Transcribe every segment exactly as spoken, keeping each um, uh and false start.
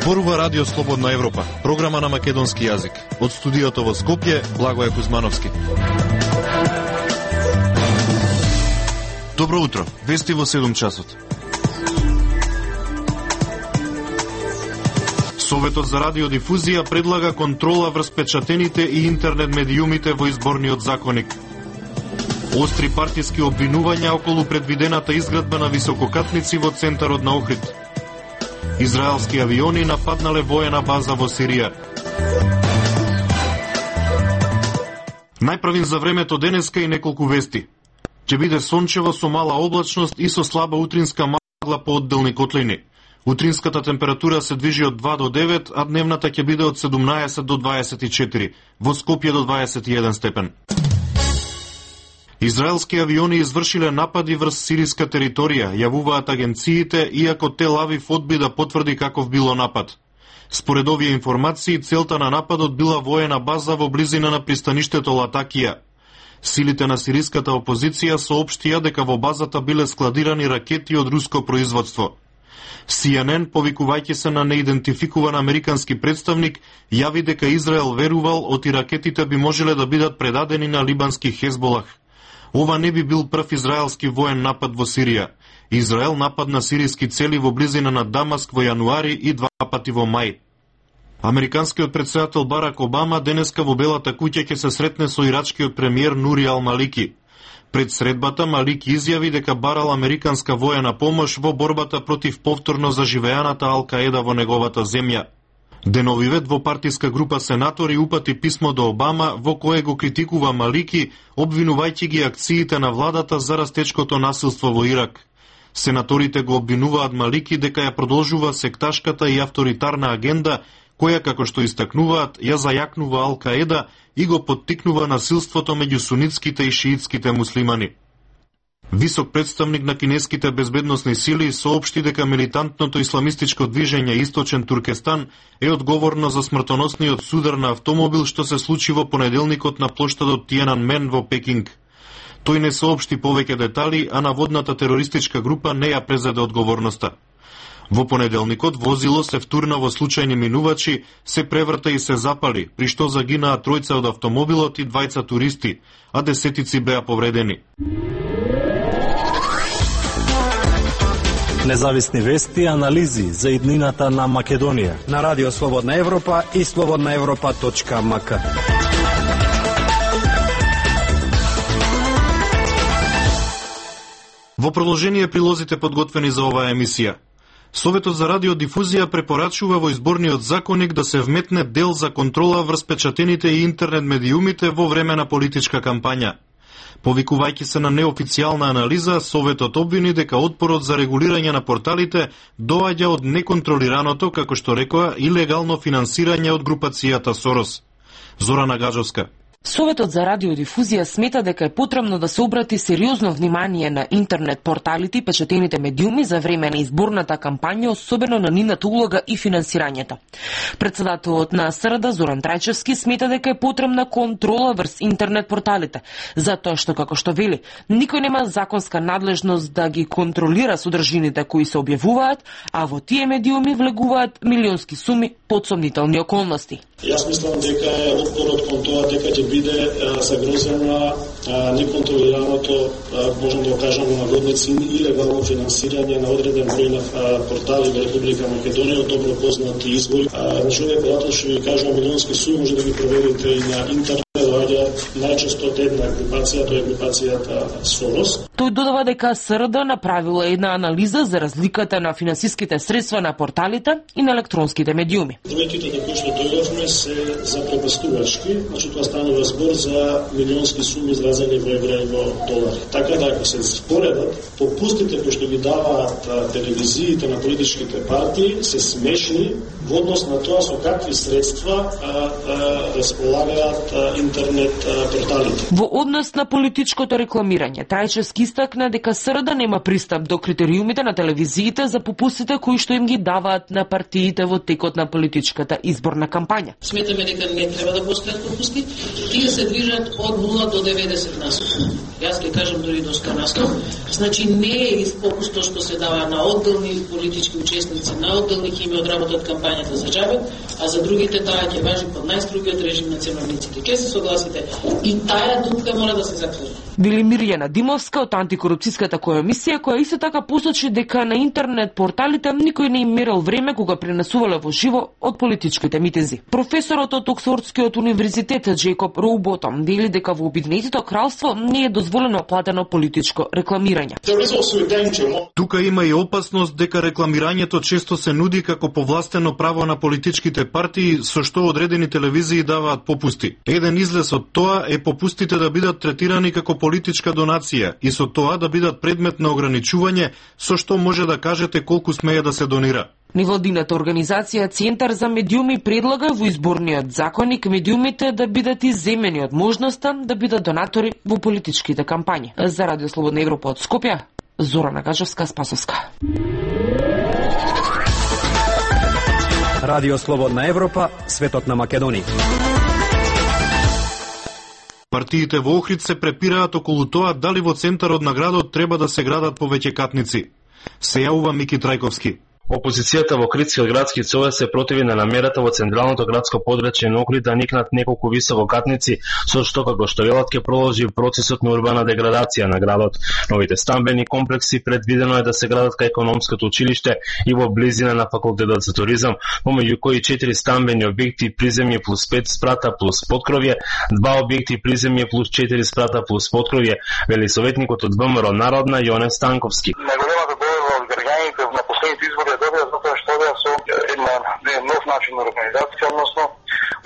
Зборува Радио Слободна Европа, програма на македонски јазик. Од студиото во Скопје, Благоје Кузмановски. Добро утро, вести во седум часот. Советот за радиодифузија предлага контрола врз печатените и интернет медиумите во изборниот законник. Остри партиски обвинувања околу предвидената изградба на висококатници во центарот на Охрид. Израелски авиони нападнале воена база во Сирија. Најправим за времето денеска и неколку вести. Ќе биде сончево со мала облачност и со слаба утринска магла по одделни котлини. Утринската температура се движи од два до девет, а дневната ќе биде од седумнаесет до дваесет и четири, во Скопје до дваесет и еден степен. Израелски авиони извршиле напади врз сириска територија, јавуваат агенциите, иако Тел Авив одби да потврди каков било напад. Според овие информации, целта на нападот била воена база во близина на пристаништето Латакија. Силите на сириската опозиција соопштија дека во базата биле складирани ракети од руско производство. Си Ен Ен, повикувајќи се на неидентификуван американски представник, јави дека Израел верувал оти ракетите би можеле да бидат предадени на либански Хезболах. Ова не би бил прв израелски воен напад во Сирија. Израел нападна сириски цели во близина на Дамаск во јануари и два пати во мај. Американскиот претседател Барак Обама денеска во Белата куќа ќе се сретне со ирачкиот премиер Нури Ал Малики. Пред средбата Малики изјави дека барал американска воена помош во борбата против повторно заживеаната Ал-Каеда во неговата земја. Деновиве двопартиска група сенатори упати писмо до Обама во кое го критикува Малики, обвинувајќи ги акциите на владата за растечкото насилство во Ирак. Сенаторите го обвинуваат Малики дека ја продолжува секташката и авторитарна агенда, која, како што истакнуваат, ја зајакнува Ал-Каеда и го поттикнува насилството меѓу сунитските и шиитските муслимани. Висок представник на кинеските безбедносни сили соопшти дека милитантното исламистичко движење Источен Туркестан е одговорно за смртоносниот судар на автомобил што се случи во понеделникот на плоштадот Тиенанмен во Пекинг. Тој не соопшти повеќе детали, а наводната терористичка група не ја презеде одговорноста. Во понеделникот возило се втурна во случајни минувачи, се преврта и се запали, при што загинаа тројца од автомобилот и двајца туристи, а десетици беа повредени. Независни вести и анализи за иднината на Македонија на Радио Слободна Европа и слободна европа точка ем ка. Во продолжение прилозите подготвени за оваа емисија. Советот за радиодифузија препорачува во изборниот законник да се вметне дел за контрола врз печатените и интернет медиумите во време на политичка кампања. Повикувајќи се на неофицијална анализа, Советот обвини дека отпорот за регулирање на порталите доаѓа од неконтролираното, како што рекоа, илегално финансирање од групацијата Сорос. Зорана Гаджовска. Советот за радиодифузија смета дека е потребно да се обрати сериозно внимание на интернет порталите и печатените медиуми за време на изборната кампања, особено на нивната улога и финансирањето. Председателот на С Р Д Зоран Трајчевски смета дека е потребна контрола врз интернет порталите, затоа што, како што вели, никој нема законска надлежност да ги контролира содржините кои се објавуваат, а во тие медиуми влегуваат милионски суми под сомнителни околности. Јас мислам дека е отпорот кон тоа дека ќе биде загрозена неконтролираното, можам да го кажам на наводници, илегално финансирање на одреден број на портали во Република Македонија од добро познати извори. Значи, овие податоци што ви кажувам милионски суми, може да ги проверите и на интернет. Најчесто од една групација, тоа е групацијата Сорос. Тој додава дека С Р Д направила една анализа за разликата на финансиските средства на порталите и на електронските медиуми. Бројките на кои што дојдовме се запрепастувачки, значи тоа станува збор за милионски суми изразени во евра и во долари. Така да, ако се споредат, попустите кои што ги даваат телевизиите на политичките партии се смешни во однос на тоа со какви средства располагаат интернет порталите. Во однос на политичкото рекламирање, Трајчевски истакна дека С Р Д нема пристап до критериумите на телевизиите за попустите кои што им ги даваат на партиите во текот на политичката изборна кампања. Сметаме дека не треба да постојат попусти, тие се движат од нула до деветдесет на сто. Јас ќе кажам дори до сто на сто. Значи не е попусто што се дава на одделни политички учесници, на одделни хими од работат кампања да заџават, а за другите таа ќе важи под најстрогиот режим на ценовниците. Ке се согласите? И таа дупка мора да се затвори. Вели Мирјана Димовска од антикорупцијската комисија, која исто така посочи дека на интернет порталите никој не им мерил време кога пренесувале во живо од политичките митинзи. Професорот од Оксфордскиот универзитет Джейкоб Роуботом вели дека во Обединетото кралство не е дозволено платено политичко рекламирање. Тука има и опасност дека рекламирањето често се нуди како повластено право на политичките партии, со што одредени телевизии даваат попусти. Еден излез од тоа е попустите да бидат третирани како политичка донација и со тоа да бидат предмет на ограничување, со што може да кажете колку смее да се донира. Невладината организација Центар за медиуми предлага во изборниот законник медиумите да бидат изземени од можноста да бидат донатори во политичките кампањи. За Радио Слободна Европа од Скопје, Зорана Гаджевска-Спасовска. Радио Слободна Европа, светот на Македонија. Партиите во Охрид се препираат околу тоа дали во центарот на градот треба да се градат повеќе катници. Се јавува Мики Трајковски. Опозицијата во Охридскиот градски совет се противи на намерата во централното градско подрачје на Охрид да никнат неколку висококатници, со што како што велат ќе продолжи процесот на урбана деградација на градот. Новите стамбени комплекси предвидено е да се градат кај економското училиште и во близина на факултетот за туризам, помеѓу кои четири стамбени објекти приземје плюс пет спрата плюс подкровје, два објекти приземје плюс четири спрата плюс подкровје, вели советникот од ВМРО Народна Јоне Станковски. Избори добија затоа што да со една нов начин на организација, односно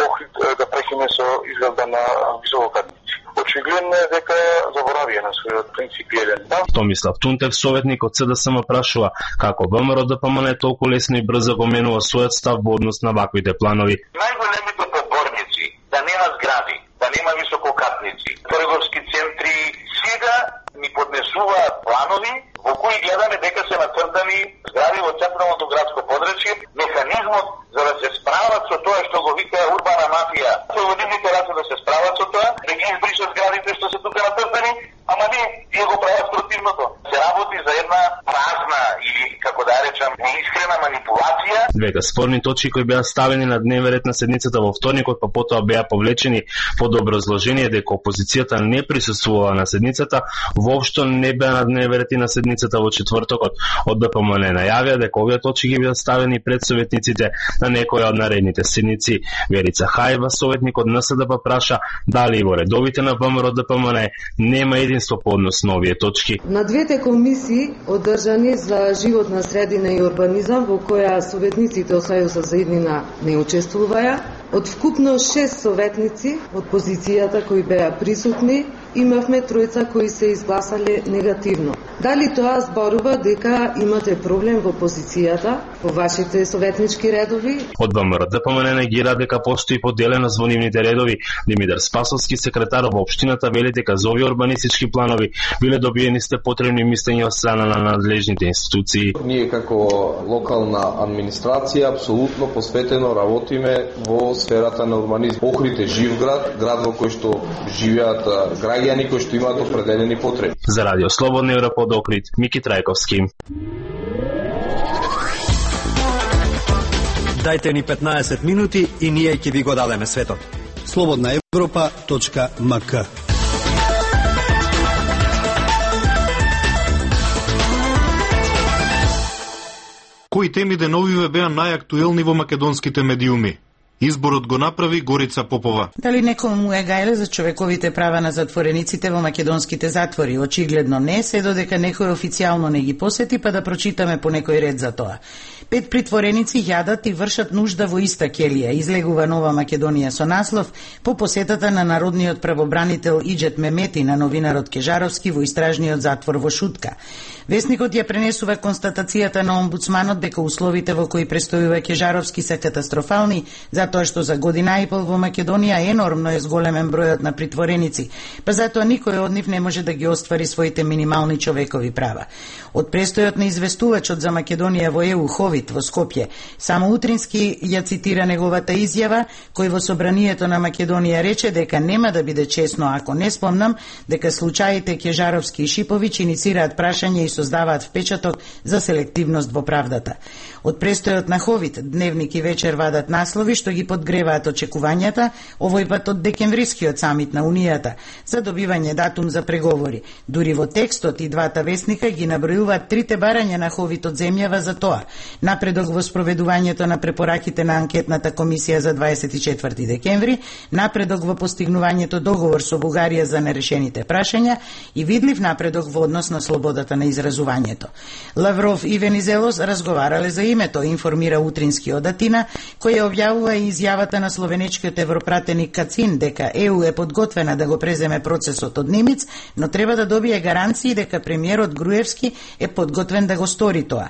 Охрид да прекине со изградба на висококатници. Очигледно е дека заборавија на својот принципиелен став. Томислав Тунтев, советник од СДСМ, прашува како ВМРО д П М Н толку лесно и брзо го менува својот став во однос на ваквите планови. Најголемите подборници да нема згради, да нема висококатници, трговски центри, сега ни поднесуваат планови во кои гледаме дека се нацртани згради во централното градско подрачје, механизмот за да се справат со тоа што го вика урбана мафија. Со водивните раце да се справат со тоа, да ги избришат зградите што се тука нацртани, ама не, тие го прават противното. Се работи за една празна или, како да речам, неискрена манипулација. Двете спорни точки кои беа ставени на дневен ред на седницата во вторникот, па потоа беа повлечени под образложение дека опозицијата не присуствувала на седницата, воопшто не беа на дневен ред и на седницата во четвртокот. Од Д П М Н најавија дека овие точки ги беа ставени пред советниците на некоја од наредните седници. Верица Хајва, советник од Н С Д П, праша дали и во редовите на ВМРО Д П М Н нема единство по однос на овие точки. На двете комисии одржани за животна средина и урбанизам, во која советниците од Сојузот за иднина не учествуваја, од вкупно шест советници од позицијата кои беа присутни, имавме тројца кои се изгласале негативно. Дали тоа зборува дека имате проблем во позицијата, во вашите советнички редови? Од ВМРО Д П М Н негира дека постои поделеност во нивните редови. Димитар Спасовски, секретар во општината, вели дека за овие урбанистички планови биле добиени сте потребни мислења од страна на надлежните институции. Ние како локална администрација апсолутно посветено работиме во сферата на урбанизм. Охрид е жив град, град во кој што живеат граѓани кои што имаат определени потреби. За Радио Слободна Европа од Охрид, Мики Трајковски. Дајте ни петнаесет минути и ние ќе ви го дадеме светот. слободна европа точка м к. Кои теми деновиве беа најактуелни во македонските медиуми? Изборот го направи Горица Попова. Дали некој му е гајле за човековите права на затворениците во македонските затвори? Очигледно не, се додека некој официјално не ги посети, па да прочитаме по некој ред за тоа. Пет притвореници јадат и вршат нужда во иста келија. Излегува Нова Македонија со наслов по посетата на народниот правобранител Иџет Мемети на новинарот Кежаровски во истражниот затвор во Шутка. Весникот ја пренесува констатацијата на омбудсманот дека условите во кои престојува Кежаровски се катастрофални, затоа што за година и пол во Македонија енормно е зголемен бројот на притвореници, па затоа никој од нив не може да ги оствари своите минимални човекови права. Од престојот на известувачот за Македонија во Е У Хови Ховит во Скопје. Само утрински ја цитира неговата изјава, кој во собранието на Македонија рече дека нема да биде честно ако не спомнам дека случаите Кежаровски и Шиповиќ иницираат прашање и создаваат впечаток за селективност во правдата. Од престојот на Ховит, Дневник и Вечер вадат наслови што ги подгреваат очекувањата, овој пат од декемврискиот самит на Унијата за добивање датум за преговори. Дури во текстот и двата вестника ги набројуваат трите барања на Ховит од земјава за тоа: напредок во спроведувањето на препораките на анкетната комисија за дваесет и четврти декември, напредок во постигнувањето договор со Бугарија за нерешените прашања и видлив напредок во однос на слободата на изразувањето. Лавров и Венизелос разговарале за името, информира утринскиот Атина, кој ја објавува и изјавата на словенечкиот европратеник Кацин дека Е У е подготвена да го преземе процесот од Немец, но треба да добие гаранции дека премиерот Груевски е подготвен да го стори тоа.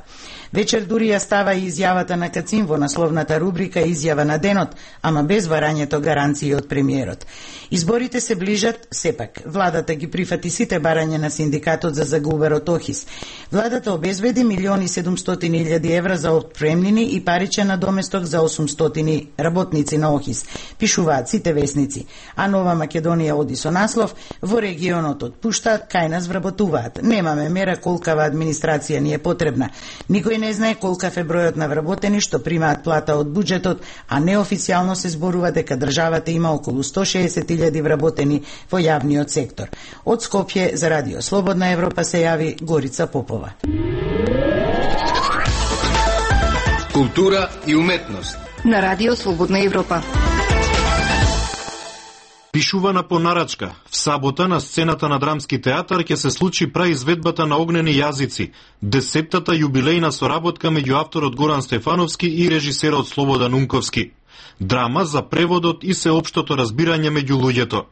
Вечер дури ја става и изјавата на Кацин во насловната рубрика Изјава на денот, ама без барањето гаранции од премиерот. Изборите се ближат, сепак. Владата ги прифати сите барања на синдикатот за загуберот Охис. Владата обезбеди милиони и седумстотини илјади евра за отпремнини и паричен надоместок за осумстотини работници на Охис. Пишуваат сите весници. А Нова Македонија оди со наслов: во регионот отпуштаат, кај нас вработуваат. Немаме мера колкава администрација ни е потребна. Никој не знае колкав е бројот на вработени што примаат плата од буџетот, а неофицијално се зборува дека државата има околу сто шеесет илјади вработени во јавниот сектор. Од Скопје за Радио Слободна Европа се јави Горица Попова. Култура и уметност на Радио Слободна Европа. Пишувана по нарачка. В сабота на сцената на Драмски театар ќе се случи праизведбата на Огнени јазици, десеттата јубилејна соработка меѓу авторот Горан Стефановски и режисерот Слободан Унковски. Драма за преводот и сеопштото разбирање меѓу луѓето.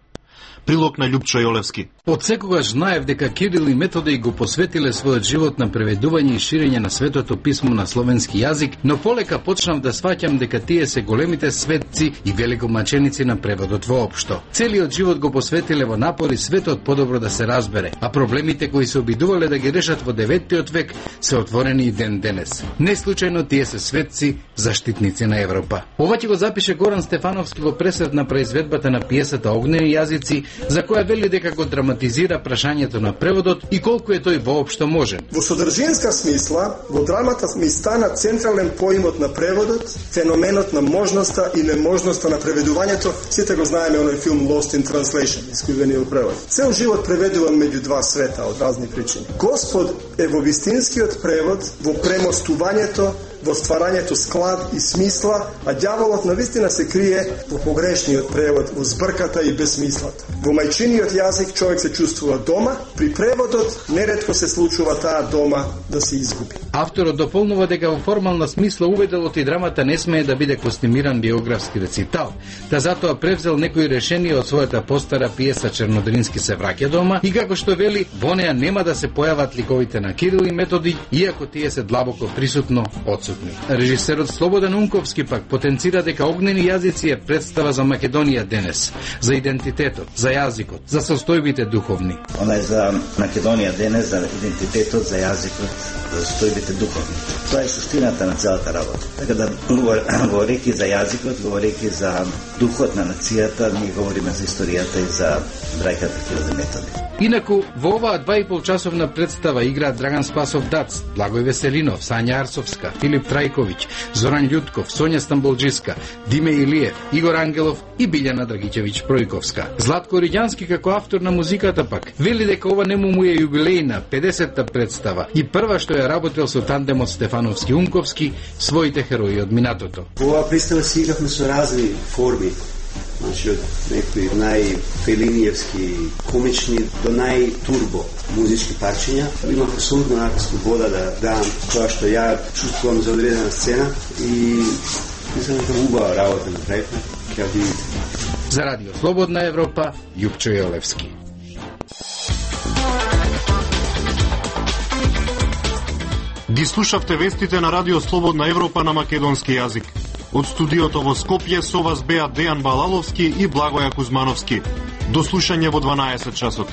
Прилог на Љупчо Јолевски. Од секогаш знаев дека Кирил и Методи го посветиле својот живот на преведување и ширење на светото писмо на словенски јазик, но полека почнав да сваќам дека тие се големите светци и великомаченици на преводот воопшто. Целиот живот го посветиле во напори светот подобро да се разбере, а проблемите кои се обидувале да ги решат во деветиот век се отворени и ден денес. Не случајно тие се светци, заштитници на Европа. Ова ќе го запише Горан Стефановски во пресвет на произведбата на пиесата Огнени јазици, за која вели дека го драматизира прашањето на преводот и колку е тој воопшто можен. Во содржинска смисла, во драмата ми стана централен поимот на преводот, феноменот на можноста и неможноста на преведувањето. Сите го знаеме оној филм Lost in Translation, искривениот превод. Цел живот преведувам меѓу два света од разни причини. Господ е во вистинскиот превод, во премостувањето, во стварањето склад и смисла, а ѓаволот навистина се крие во погрешниот превод, во збрката и безсмислата. Во мајчиниот јазик човек се чувствува дома, при преводот неретко се случува таа дома да се изгуби. Авторот дополнува дека во формална смисла уведелот и драмата не смее да биде костимиран биографски рецитал, та затоа превзел некои решенија од својата постара пиеса Чернодрински се враќа дома и како што вели, во неа нема да се појават ликовите на Кирил и Методи, иако тие се длабоко присутно одсутни. Режисерот Слободан Унковски пак потенцира дека Огнени јазици е представа за Македонија денес, за идентитетот, за јазикот, за состојбите духовни. Она е за Македонија денес, за идентитетот, за јазикот, за состојбите духовни. Тоа е суштината на целата работа. Така да, говорејќи за јазикот, говорејќи за духот на нацијата, ние говориме за историјата и за брајката Кирил и Методи. Инаку, во оваа два и пол часовна представа играат Драган Спасов Дац, Благој Веселинов, Сања Арсовска, Филип Трајковиќ, Зоран Љутков, Сонја Стамболџиска, Диме Илиев, Игор Ангелов и Билјана Драгиќевиќ Пројковска. Златко Риѓански како автор на музиката пак вели дека ова нему му е јубилејна педесетта представа и прва што ја работел со тандемот Стефановски Унковски, своите херои од минатото. Во оваа представа си игравме со разни форми. Значи, од некои најфелиниевски комични до најтурбо музички парчиња. Имам абсолютно нака слобода да дам тоа што ја чувствувам за одредена сцена и мислам дека убава работа направивме. Ќе ја видите. За Радио Слободна Европа, Љупчо Јолевски. Ги слушавте вестите на Радио Слободна Европа на македонски јазик. Од студиото во Скопје со вас беа Дејан Балаловски и Благоја Кузмановски. До слушање во дванаесет часот.